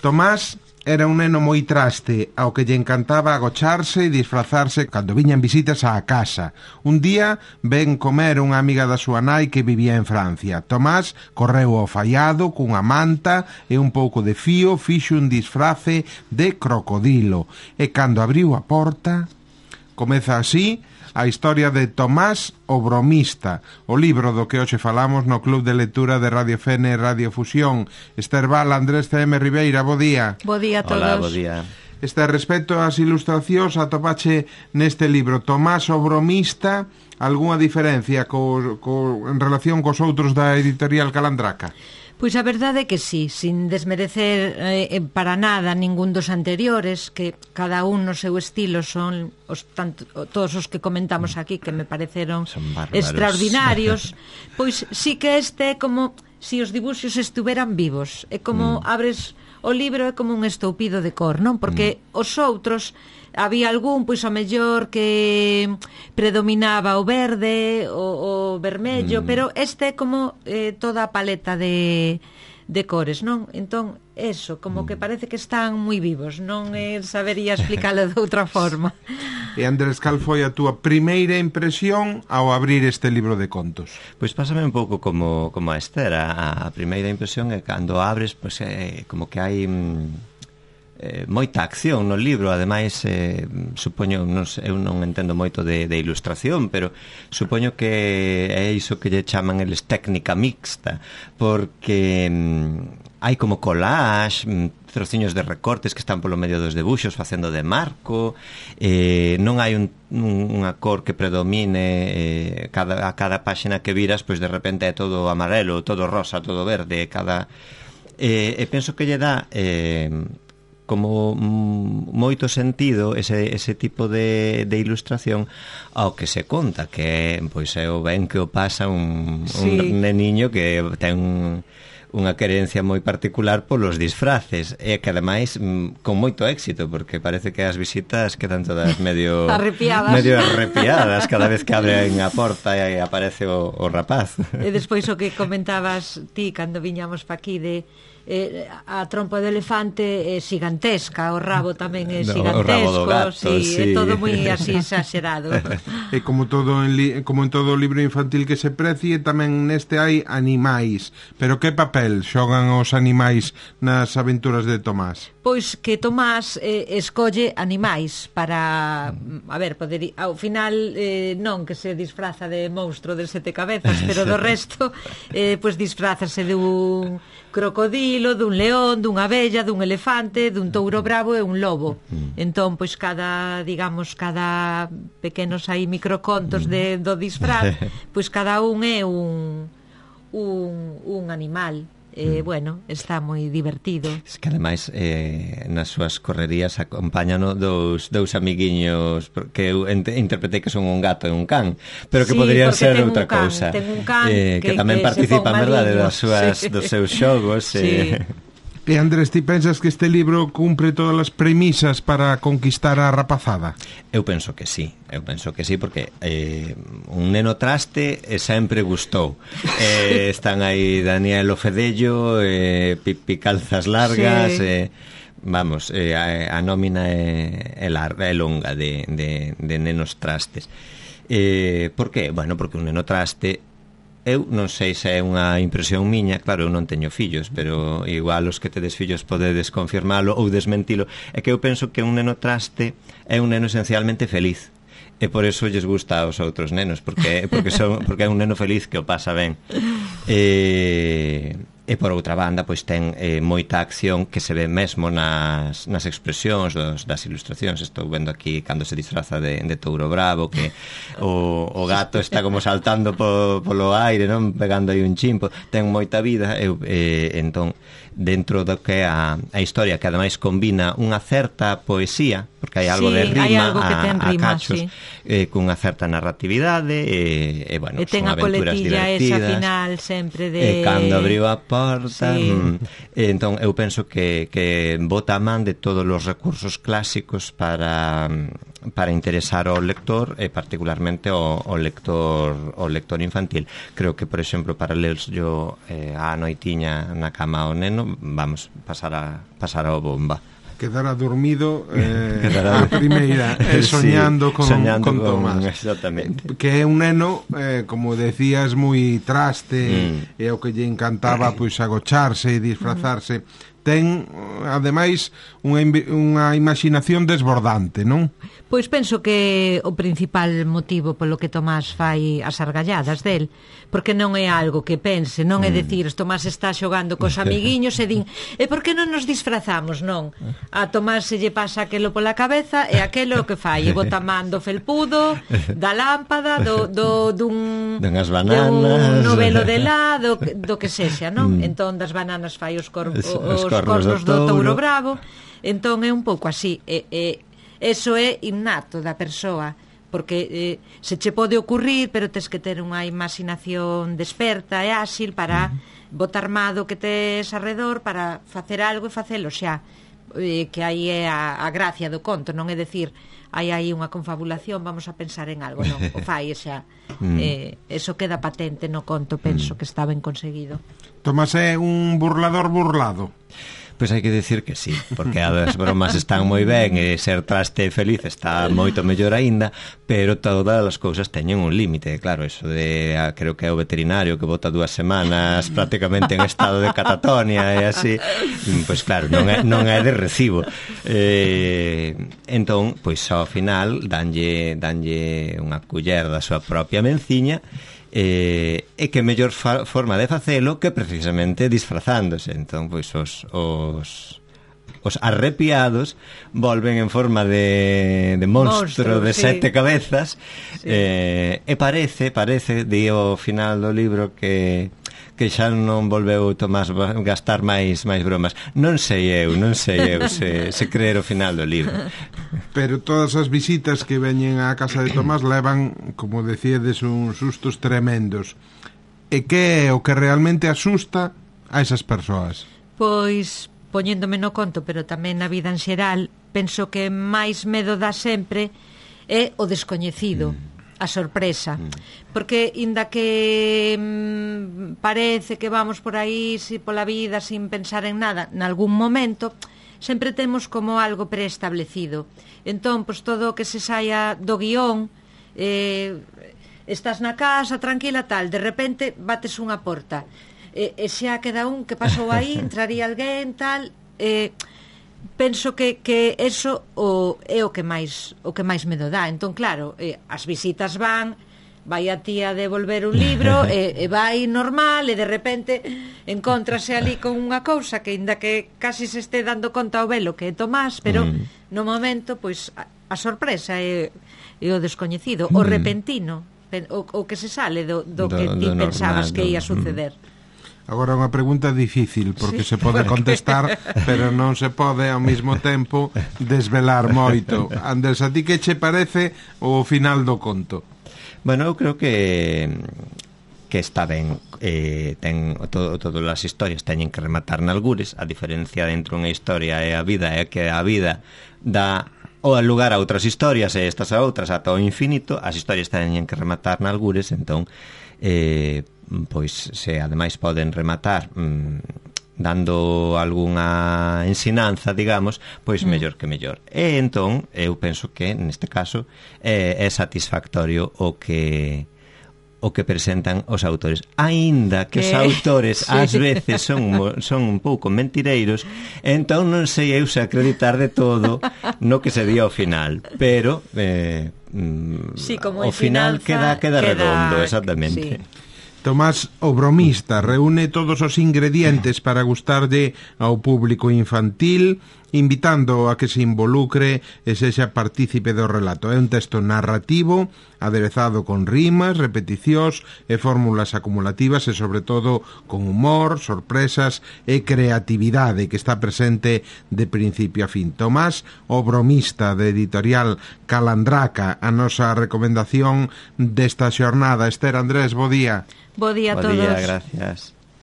Tomás era un neno moi traste, ao que lle encantaba agocharse e disfrazarse cando viñan visitas á casa. Un día ven comer unha amiga da súa nai que vivía en Francia. Tomás correu ao faiado cunha manta e un pouco de fío, fixo un disfrace de crocodilo. E cando abriu a porta, comeza así a historia de Tomás o Bromista, o libro do que hoxe falamos no Club de Lectura de Radio Fene e Radio Fusión. Esther Val, Andrés C.M. Ribeira, bo día. Bo día a todos. Hola, bo día. Respecto ás ilustracións, atopache neste libro Tomás o Bromista algunha diferencia en relación cos outros da editorial Calandraca? Pois a verdade é que sí, sin desmerecer para nada ningún dos anteriores, que cada un no seu estilo son todos os que comentamos aquí, que me pareceron extraordinarios. Pois sí que este é como si os dibuxos estuveran vivos, é como abres o libro, é como un estoupido de cor, non? Porque os outros había algún, pois, ao mellor que predominaba o verde, o vermello, pero este é como toda a paleta de cores, non? Entón, eso, como que parece que están moi vivos, non sabería explicarlo de outra forma. E Andrés, cal foi a túa primeira impresión ao abrir este libro de contos? Pois pásame un pouco como a Esther. A primeira impresión é cando abres, pois, como que hai moita acción no libro. Ademais, supoño, eu non entendo moito de ilustración, pero supoño que é iso que lle chaman eles técnica mixta, porque hai como collage, trociños de recortes que están polo medio dos debuxos facendo de marco, non hai unha cor que predomine, a cada páxina que viras, pois de repente é todo amarelo, todo rosa, todo verde, e penso que lle dá como moito sentido ese tipo de ilustración ao que se conta, que pois é o ben que o pasa un neniño que ten unha querencia moi particular polos disfraces, e que ademais con moito éxito, porque parece que as visitas quedan todas medio arrepiadas cada vez que abren a porta e aparece o rapaz. E despois o que comentabas ti cando viñamos pa aquí de a trompa do elefante é gigantesca, o rabo tamén é gigantesco, o rabo do gato, é todo moi así exagerado. E como en todo o libro infantil que se precie, tamén neste hai animais. Pero que papel xogan os animais nas aventuras de Tomás? Pois que Tomás escolle animais para, a ver, ao final non que se disfraza de monstro de 7 cabezas, pero do resto pois disfrázase dun crocodilo, dun león, dunha abella, dun elefante, dun touro bravo e un lobo. Entón, pois cada pequenos aí microcontos do disfraz, pois cada un é un animal. Bueno, está moi divertido. Es que ademais nas súas correrías acompáñano dous amiguiños que eu interpretei que son un gato e un can, pero que poderían ser outra cousa. Ten un can que tamén participan, verdade, dos seus xogos. E Andrés, ti pensas que este libro cumpre todas as premisas para conquistar a rapazada? Eu penso que sí, porque un neno traste sempre gustou. Están aí Daniel o Fedello, Pipi Calzas Largas, vamos, a nómina é longa de nenos trastes. Por que? Bueno, porque un neno traste, eu non sei se é unha impresión miña, claro, eu non teño fillos, pero igual os que tedes fillos podedes confirmalo ou desmentilo, é que eu penso que un neno traste é un neno esencialmente feliz, e por eso lles gusta aos outros nenos, porque é un neno feliz que o pasa ben. E por outra banda, pois ten moita acción que se ve mesmo nas expresións das ilustracións. Estou vendo aquí cando se disfraza de touro bravo, que o gato está como saltando polo aire, non, pegando aí un chimpo, ten moita vida. Entón, dentro do que é a historia, que ademais combina unha certa poesía, porque hai algo de rima a cachos, cunha certa narratividade, e bueno, ten son a aventuras coletilla divertidas. esa final sempre de... Cando abriu a porta, entón eu penso que bota a man de todos os recursos clásicos para para interesar ao lector e particularmente ao lector infantil. Creo que, por exemplo, para ler yo a noitiña na cama ao neno, vamos pasar a bomba. Quedará dormido a primeira soñando con Tomás, exactamente. Que é un neno, como decías, moi traste, e o que lle encantaba pois agocharse e disfrazarse. Ten, ademais, unha imaginación desbordante, non? Pois penso que o principal motivo polo que Tomás fai as argalladas del, porque non é algo que pense, non é decir, Tomás está xogando cos amiguiños e din, e por que non nos disfrazamos, non? A Tomás se lle pasa aquelo pola cabeza e aquelo que fai, e bota man do felpudo, da lámpada, dunhas bananas, dun novelo de lá, do que sexa, non? Entón das bananas fai os cornos do touro bravo. Entón é un pouco así, eso é innato da persoa, porque se che pode ocurrir, pero tes que ter unha imaginación desperta e áxil para botar mado que tes arredor para facer algo e facelo xa, que aí é a gracia do conto, non é decir hai aí unha confabulación, vamos a pensar en algo, non, o fai xa. Eso queda patente no conto, penso que está ben conseguido. Tomás é un burlador burlado. Pois hai que decir que sí, porque as bromas están moi ben e ser traste feliz está moito mellor aínda, pero todas as cousas teñen un límite, claro, eso de creo que é o veterinario que bota 2 semanas prácticamente en estado de catatonia e así, pois claro, non é de recibo. Entón, pois ao final danlle unha culler da súa propia menciña, e que mellor forma de facelo que precisamente disfrazándose. Entón, pois os arrepiados volven en forma de monstro de 7 cabezas, e parece di ao final do libro que xa non volveu Tomás gastar máis bromas. Non sei eu se creer o final do libro. Pero todas as visitas que veñen á casa de Tomás levan, como decíades, uns sustos tremendos. E que é o que realmente asusta a esas persoas? Pois, poñéndome no conto, pero tamén na vida en xeral, penso que máis medo dá sempre é o descoñecido. A sorpresa, porque inda que parece que vamos por aí pola vida sin pensar en nada, nalgún momento sempre temos como algo preestablecido. Entón, pois todo o que se saia do guión, estás na casa tranquila tal, de repente bates unha porta, e xa queda un que pasou aí, entraría alguén tal, penso que eso é o que máis medo dá. Entón, claro, as visitas vai a tía devolver un libro e vai normal, e de repente encontrase ali con unha cousa que ainda que casi se este dando conta ao velo que é Tomás, pero no momento, pois, a sorpresa é o descoñecido, o repentino, o que se sale do que ti pensabas que ia suceder. Agora unha pregunta difícil, porque se pode contestar, pero non se pode ao mesmo tempo desvelar moito. Andrés, a ti que che parece o final do conto? Bueno, eu creo que está ben, todas as historias teñen que rematar nalgures. A diferencia entre unha historia e a vida é que a vida dá o lugar a outras historias e estas a outras ata o infinito. As historias teñen que rematar nalgures, entón pois se ademais poden rematar dando algunha ensinanza, digamos, pois mellor que mellor. E entón, eu penso que neste caso é satisfactorio o que presentan os autores, aínda que os autores ás veces son un pouco mentireiros, entón non sei eu se acreditar de todo no que se di ao final, pero o final queda redondo, exactamente. Sí. Tomás, o bromista, reúne todos os ingredientes para gustarlle ao público infantil, invitando a que se involucre e sexa partícipe do relato. É un texto narrativo, aderezado con rimas, repeticións e fórmulas acumulativas e, sobre todo, con humor, sorpresas e creatividade que está presente de principio a fin. Tomás, o bromista, de editorial Calandraca, a nosa recomendación desta xornada. Esther, Andrés, bo día. Bo día a todos. Bo día, gracias.